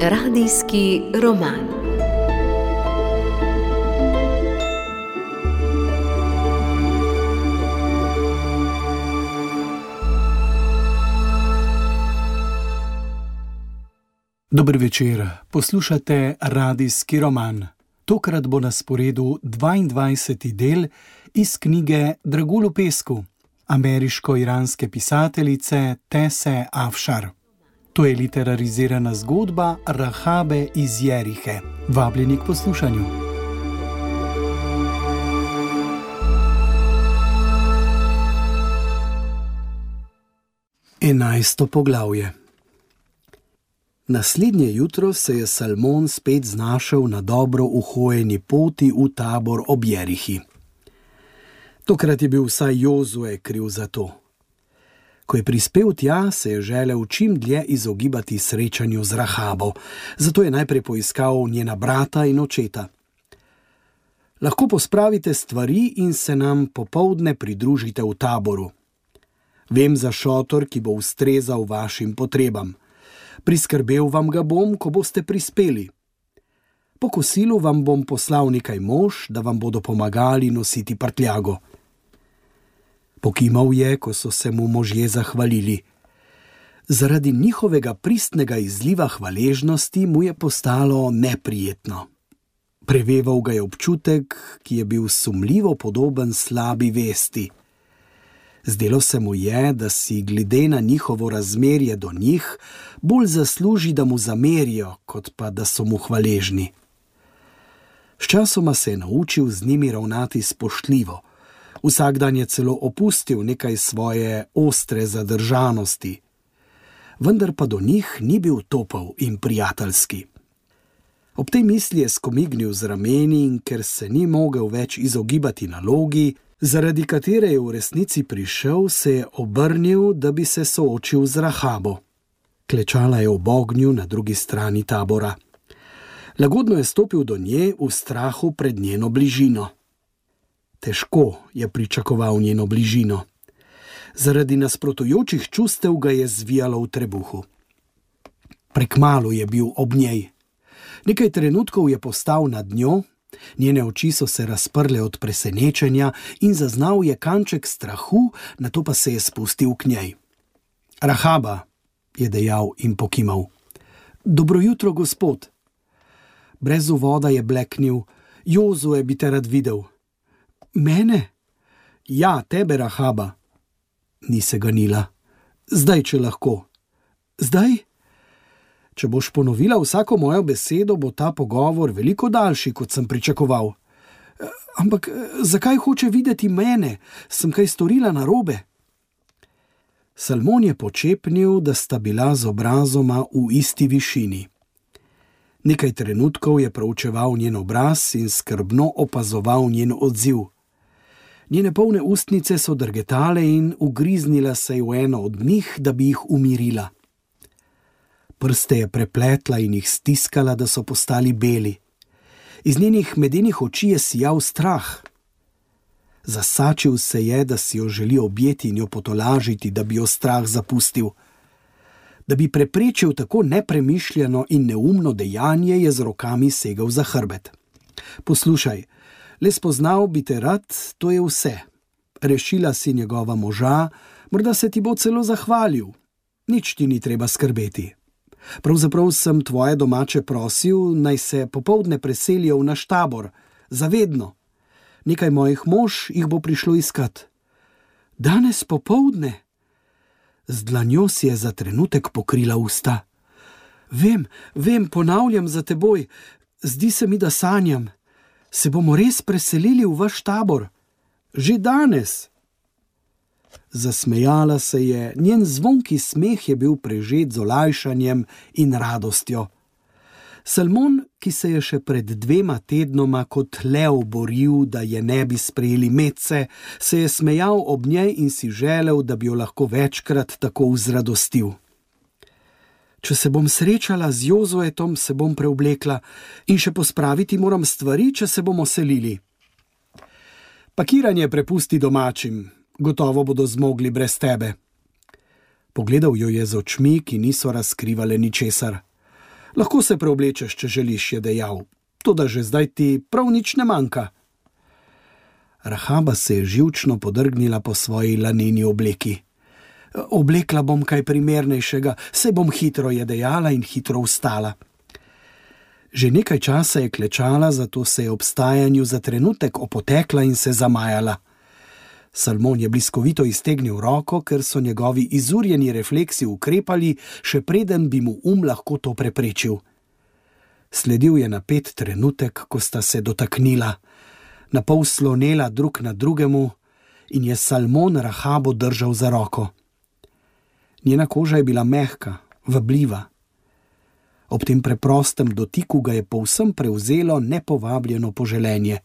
Radijski roman. Dober večer, poslušate Radijski roman. Tokrat bo na sporedu 22. del iz knjige Dragulj v pesku ameriško-iranske pisateljice Tese Afšar. To je literarizirana zgodba Rahabe iz Jerihe. Vabljeni k poslušanju. 11. poglavje. Naslednje jutro se je Salmon spet znašel na dobro uhojeni poti v tabor ob Jerihi. Tokrat je bil vsaj Jozue kriv za to. Ko je prispel tja, se je želel čim dlje izogibati srečanju z Rahabo, zato je najprej poiskal njena brata in očeta. Lahko pospravite stvari in se nam popoldne pridružite v taboru. Vem za šotor, ki bo ustrezal vašim potrebam. Priskrbel vam ga bom, ko boste prispeli. Po kosilu vam bom poslal nekaj mož, da vam bodo pomagali nositi prtljago. Pokimal je, ko so se mu možje zahvalili. Zaradi njihovega pristnega izliva hvaležnosti mu je postalo neprijetno. Preveval ga je občutek, ki je bil sumljivo podoben slabi vesti. Zdelo se mu je, da si glede na njihovo razmerje do njih bolj zasluži, da mu zamerijo, kot pa da so mu hvaležni. Sčasoma se je naučil z njimi ravnati spoštljivo. Vsak dan je celo opustil nekaj svoje ostre zadržanosti. Vendar pa do njih ni bil topel in prijateljski. Ob tej misli je skomignil z rameni in ker se ni mogel več izogibati nalogi, zaradi katere je v resnici prišel, se je obrnil, da bi se soočil z Rahabo. Klečala je ob ognju na drugi strani tabora. Lagodno je stopil do nje v strahu pred njeno bližino. Težko je pričakoval njeno bližino. Zaradi nasprotujočih čustev ga je zvijalo v trebuhu. Prekmalu je bil ob njej. Nekaj trenutkov je postal nad njo, njene oči so se razprle od presenečenja in zaznal je kanček strahu, nato pa se je spustil k njej. Rahaba, je dejal in pokimal. Dobro jutro, gospod. Brez uvoda je bleknil. Jozue bi te rad videl. Mene? Ja, tebe, Rahaba. Ni se ganila. Zdaj, če lahko. Zdaj? Če boš ponovila vsako mojo besedo, bo ta pogovor veliko daljši, kot sem pričakoval. Ampak zakaj hoče videti mene? Sem kaj storila narobe? Salmon je počepnil, da sta bila z obrazoma v isti višini. Nekaj trenutkov je proučeval njen obraz in skrbno opazoval njen odziv. Njene polne ustnice so drgetale in ugriznila se je v eno od njih, da bi jih umirila. Prste je prepletla in jih stiskala, da so postali beli. Iz njenih medenih oči je sijal strah. Zasačil se je, da si jo želi objeti in jo potolažiti, da bi jo strah zapustil. Da bi preprečil tako nepremišljeno in neumno dejanje, je z rokami segel za hrbet. Poslušaj, le spoznal bi te rad, to je vse. Rešila si njegova moža, morda se ti bo celo zahvalil. Nič ti ni treba skrbeti. Pravzaprav sem tvoje domače prosil, naj se popoldne preselijo v naš tabor. Zavedno. Nekaj mojih mož jih bo prišlo iskat. Danes popoldne? Z dlanjo si je za trenutek pokrila usta. Vem, ponavljam za teboj. Zdi se mi, da sanjam. Se bomo res preselili v vaš tabor? Že danes. Zasmejala se je, njen zvonki smeh je bil prežet z olajšanjem in radostjo. Salmon, ki se je še pred 2 tednoma kot lev boril, da je ne bi sprejeli medse, se je smejal ob njej in si želel, da bi jo lahko večkrat tako vzradostil. Če se bom srečala z Jozuetom, se bom preoblekla in še pospraviti moram stvari, če se bomo selili. Pakiranje prepusti domačim. Gotovo bodo zmogli brez tebe. Pogledal jo je z očmi, ki niso razkrivale ničesar. Lahko se preoblečeš, če želiš, je dejal, toda že zdaj ti prav nič ne manjka. Rahaba se je živčno podrgnila po svoji laneni obleki. Oblekla bom kaj primernejšega, saj bom hitro, je dejala in hitro vstala. Že nekaj časa je klečala, zato se je ob vstajanju za trenutek opotekla in se zamajala. Salmon je bliskovito iztegnil roko, ker so njegovi izurjeni refleksi ukrepali, še preden bi mu lahko to preprečil. Sledil je napet trenutek, ko sta se dotaknila, napol slonela drug na drugemu in je Salmon Rahabo držal za roko. Njena koža je bila mehka, vabljiva. Ob tem preprostem dotiku ga je povsem prevzelo nepovabljeno poželenje.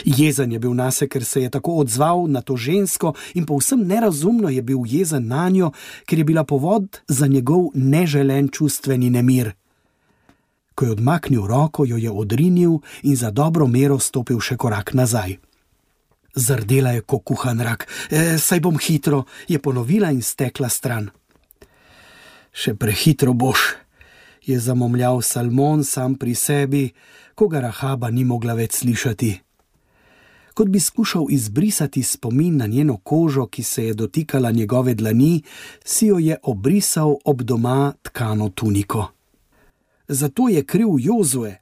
Jezen je bil nase, ker se je tako odzval na to žensko in povsem nerazumno je bil jezen nanjo, ker je bila povod za njegov neželen čustveni nemir. Ko je odmaknil roko, jo je odrinil in za dobro mero stopil še korak nazaj. Zardela je kot kuhan rak. Saj bom hitro, je ponovila in stekla stran. Še prehitro boš, je zamomljal Salmon sam pri sebi, ko ga Rahaba ni mogla več slišati. Kot bi skušal izbrisati spomin na njeno kožo, ki se je dotikala njegove dlani, si jo je obrisal ob doma tkano tuniko. Zato je kriv Jozue.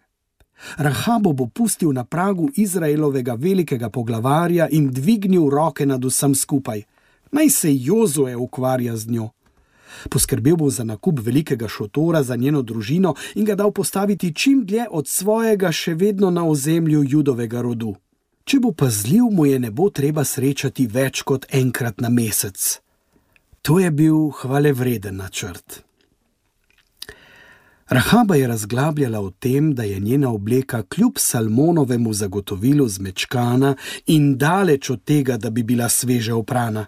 Rahabo bo pustil na pragu Izraelovega velikega poglavarja in dvignil roke nad vsem skupaj. Naj se Jozue ukvarja z njo. Poskrbel bo za nakup velikega šotora za njeno družino in ga dal postaviti čim dlje od svojega še vedno na ozemlju Judovega rodu. Če bo pazljiv, mu je ne bo treba srečati več kot enkrat na mesec. To je bil hvalevreden načrt. Rahaba je razglabljala o tem, da je njena obleka kljub Salmonovemu zagotovilu zmečkana in daleč od tega, da bi bila sveže oprana.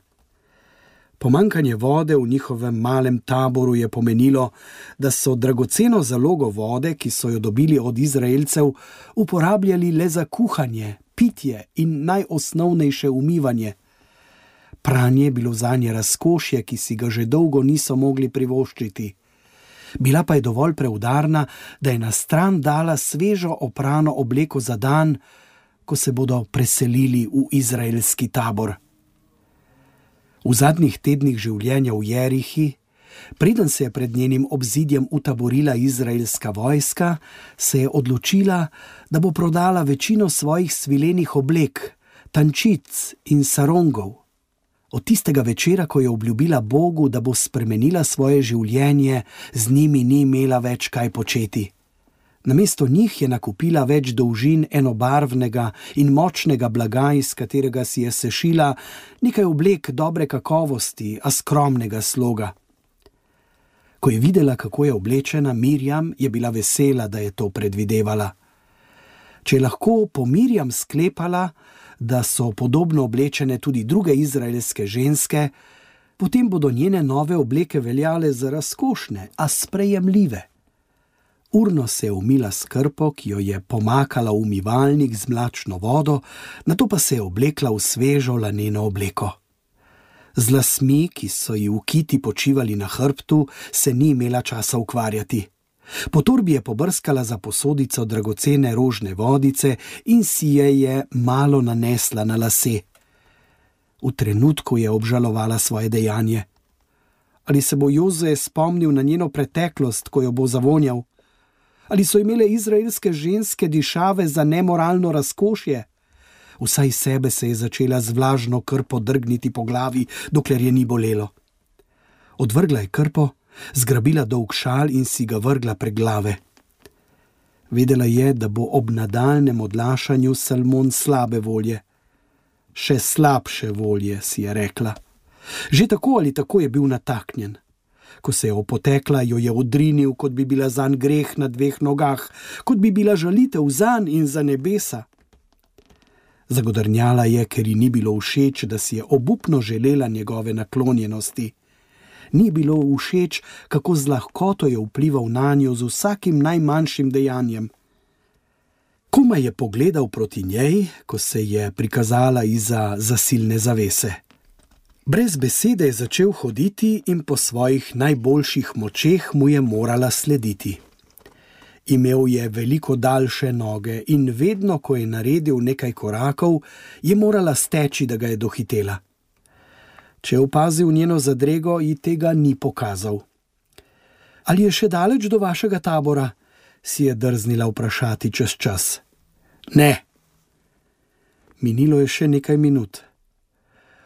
Pomanjkanje vode v njihovem malem taboru je pomenilo, da so dragoceno zalogo vode, ki so jo dobili od Izraelcev, uporabljali le za kuhanje, pitje in najosnovnejše umivanje. Pranje je bilo zanje razkošje, ki si ga že dolgo niso mogli privoščiti. Bila pa je dovolj preudarna, da je na stran dala svežo oprano obleko za dan, ko se bodo preselili v izraelski tabor. V zadnjih tednih življenja v Jerihi, preden se je pred njenim obzidjem utaborila izraelska vojska, se je odločila, da bo prodala večino svojih svilenih oblek, tančic in sarongov. Od tistega večera, ko je obljubila Bogu, da bo spremenila svoje življenje, z njimi ni imela več kaj početi. Namesto njih je nakupila več dolžin enobarvnega in močnega blaga, iz katerega si je sešila nekaj oblek dobre kakovosti, a skromnega sloga. Ko je videla, kako je oblečena, Mirjam je bila vesela, da je to predvidevala. Če je lahko po Mirjam sklepala, da so podobno oblečene tudi druge izraelske ženske, potem bodo njene nove obleke veljale za razkošne, a sprejemljive. Urno se je umila s krpo, ki jo je pomakala v umivalnik z mlačno vodo, nato pa se je oblekla v svežo laneno obleko. Z lasmi, ki so ji v kiti počivali na hrbtu, se ni imela časa ukvarjati. Po torbi je pobrskala za posodico dragocene rožne vodice in si je malo nanesla na lase. V trenutku je obžalovala svoje dejanje. Ali se bo Jozue spomnil na njeno preteklost, ko jo bo zavonjal? Ali so imele izraelske ženske dišave za nemoralno razkošje? Vsaj sebe se je začela z vlažno krpo drgniti po glavi, dokler je ni bolelo. Odvrgla je krpo, zgrabila dolg šal in si ga vrgla prek glave. Vedela je, da bo ob nadaljnjem odlašanju Salmon slabe volje. Še slabše volje, si je rekla. Že tako ali tako je bil nataknjen. Ko se je opotekla, jo je odrinil, kot bi bila zanj greh na dveh nogah, kot bi bila žalitev zanj in za nebesa. Zagodrnjala je, ker ji ni bilo všeč, da si je obupno želela njegove naklonjenosti. Ni bilo všeč, kako z lahkoto je vplival nanjo z vsakim najmanjšim dejanjem. Komaj je pogledal proti njej, ko se je prikazala izza zasilne zavese. Brez besede je začel hoditi in po svojih najboljših močeh mu je morala slediti. Imel je veliko daljše noge in vedno, ko je naredil nekaj korakov, je morala steči, da ga je dohitela. Če je opazil njeno zadrego, ji tega ni pokazal. Ali je še daleč do vašega tabora? Si je drznila vprašati čez čas. Ne. Minilo je še nekaj minut.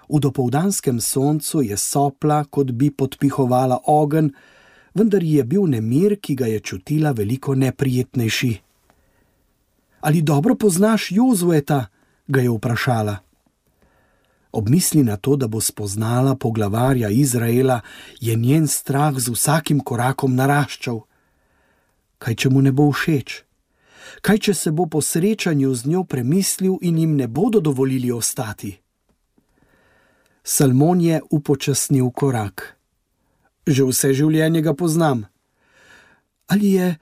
V dopoldanskem soncu je sopla, kot bi podpihovala ogenj, vendar ji je bil nemir, ki ga je čutila, veliko neprijetnejši. Ali dobro poznaš Jozueta? Ga je vprašala. Ob misli na to, da bo spoznala poglavarja Izraela, je njen strah z vsakim korakom naraščal. Kaj, če mu ne bo všeč? Kaj, če se bo po srečanju z njo premislil in jim ne bodo dovolili ostati? Salmon je upočasnil korak. Že vse življenje ga poznam. Ali je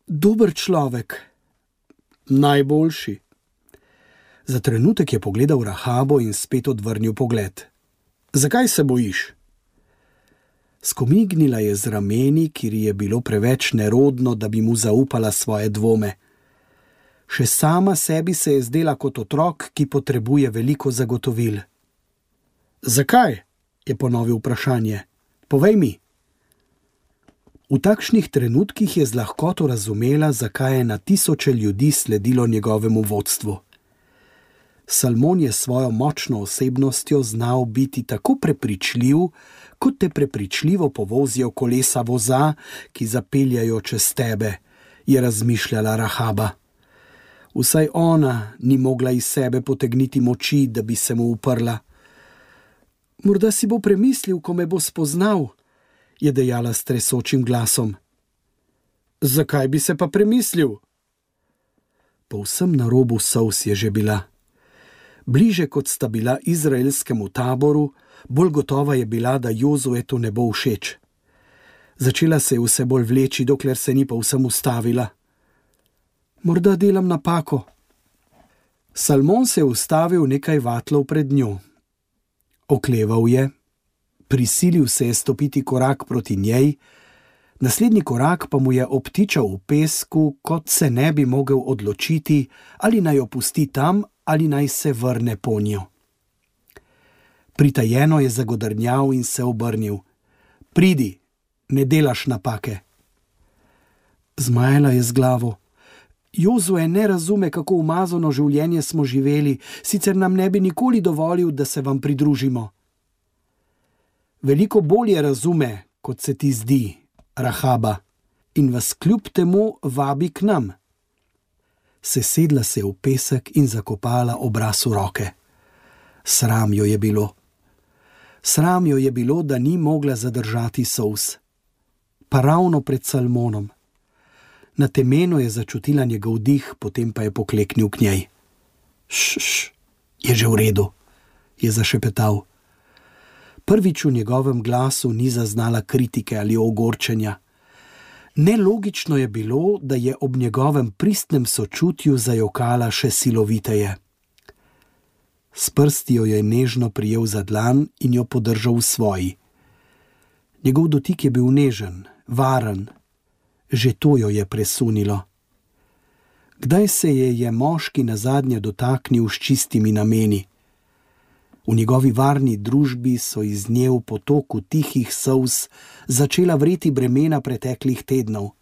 dober človek? Najboljši. Za trenutek je pogledal Rahabo in spet odvrnil pogled. Zakaj se bojiš? Skomignila je z rameni, kjer je bilo preveč nerodno, da bi mu zaupala svoje dvome. Še sama sebi se je zdela kot otrok, ki potrebuje veliko zagotovil. Zakaj? Je ponovil vprašanje. Povej mi. V takšnih trenutkih je z lahkoto razumela, zakaj je na tisoče ljudi sledilo njegovemu vodstvu. Salmon je svojo močno osebnostjo znal biti tako prepričljiv, kot te prepričljivo povozijo kolesa voza, ki zapeljajo čez tebe, je razmišljala Rahaba. Vsaj ona ni mogla iz sebe potegniti moči, da bi se mu uprla. Morda si bo premislil, ko me bo spoznal, je dejala s tresočim glasom. Zakaj bi se pa premislil? Povsem na robu solz je že bila. Bliže kot sta bila izraelskemu taboru, bolj gotova je bila, da Jozuetu ne bo všeč. Začela se je vse bolj vleči, dokler se ni povsem ustavila. Morda delam napako. Salmon se je ustavil nekaj vatlov pred njo. Okleval je, prisilil se je stopiti korak proti njej, naslednji korak pa mu je obtičal v pesku, kot se ne bi mogel odločiti, ali naj jo pusti tam, ali naj se vrne po njo. Pritajeno je zagodrnjal in se obrnil. Pridi, ne delaš napake. Zmajala je z glavo. Jozue ne razume, kako umazano življenje smo živeli, sicer nam ne bi nikoli dovolil, da se vam pridružimo. Veliko bolje razume, kot se ti zdi, Rahaba, in vas kljub temu vabi k nam. Sesedla se je v pesek in zakopala obraz v roke. Sram jo je bilo. Sram jo je bilo, da ni mogla zadržati solz. Pa ravno pred Salmonom. Na temenu je začutila njegov dih, potem pa je pokleknil k njej. Šš, je že v redu, je zašepetal. Prvič v njegovem glasu ni zaznala kritike ali ogorčenja. Nelogično je bilo, da je ob njegovem pristnem sočutju zajokala še siloviteje. S prsti jo je nežno prijel za dlan in jo podržal v svoji. Njegov dotik je bil nežen, varen. Že to jo je presunilo. Kdaj se je moški nazadnje dotaknil s čistimi nameni? V njegovi varni družbi so iz nje v potoku tihih solz začela vreti bremena preteklih tednov.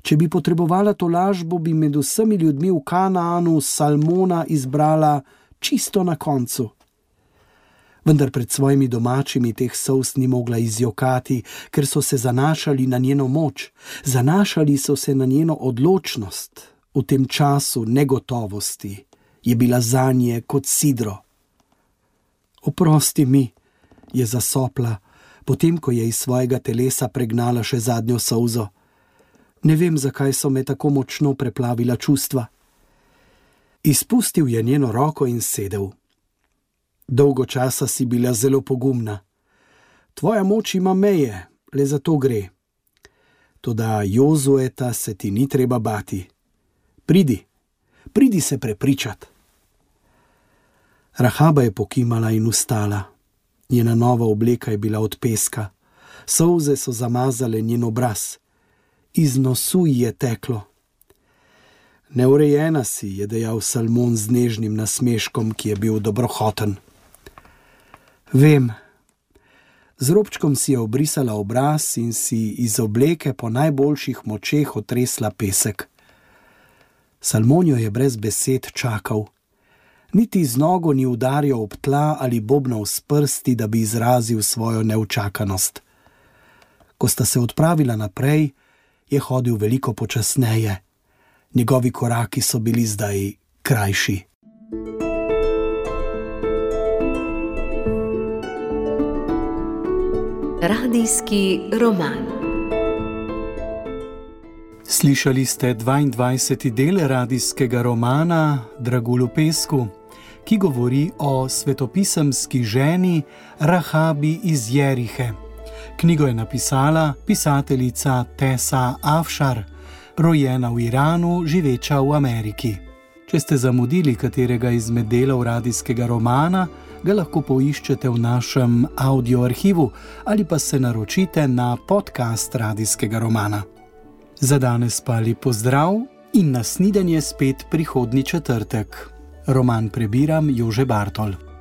Če bi potrebovala tolažbo, bi med vsemi ljudmi v Kanaanu Salmona izbrala čisto na koncu. Vendar pred svojimi domačimi teh solz ni mogla izjokati, ker so se zanašali na njeno moč, zanašali so se na njeno odločnost. V tem času negotovosti je bila zanje kot sidro. Oprosti mi, je zasopla, potem ko je iz svojega telesa pregnala še zadnjo solzo. Ne vem, zakaj so me tako močno preplavila čustva. Izpustil je njeno roko in sedel. Dolgo časa si bila zelo pogumna. Tvoja moč ima meje, le za to gre. Toda Jozueta se ti ni treba bati. Pridi se prepričat. Rahaba je pokimala in vstala. Njena nova obleka je bila od peska. Solze so zamazale njen obraz. Iz nosu ji je teklo. Neurejena si, je dejal Salmon z nežnim nasmeškom, ki je bil dobrohoten. Vem. Z robčkom si je obrisala obraz in si iz obleke po najboljših močeh otresla pesek. Salmon jo je brez besed čakal. Niti z nogo ni udarjal ob tla ali bobnal s prsti, da bi izrazil svojo neučakanost. Ko sta se odpravila naprej, je hodil veliko počasneje. Njegovi koraki so bili zdaj krajši. Radijski roman. Slišali ste 22. del radijskega romana Dragulj v pesku, ki govori o svetopisemski ženi Rahabi iz Jerihe. Knjigo je napisala pisateljica Tessa Afshar, rojena v Iranu, živeča v Ameriki. Če ste zamudili katerega izmed delov radijskega romana, ga lahko poiščete v našem audio arhivu ali pa se naročite na podcast radijskega romana. Za danes pa lep pozdrav in na snidenje spet prihodnji četrtek. Roman prebiram Jože Bartol.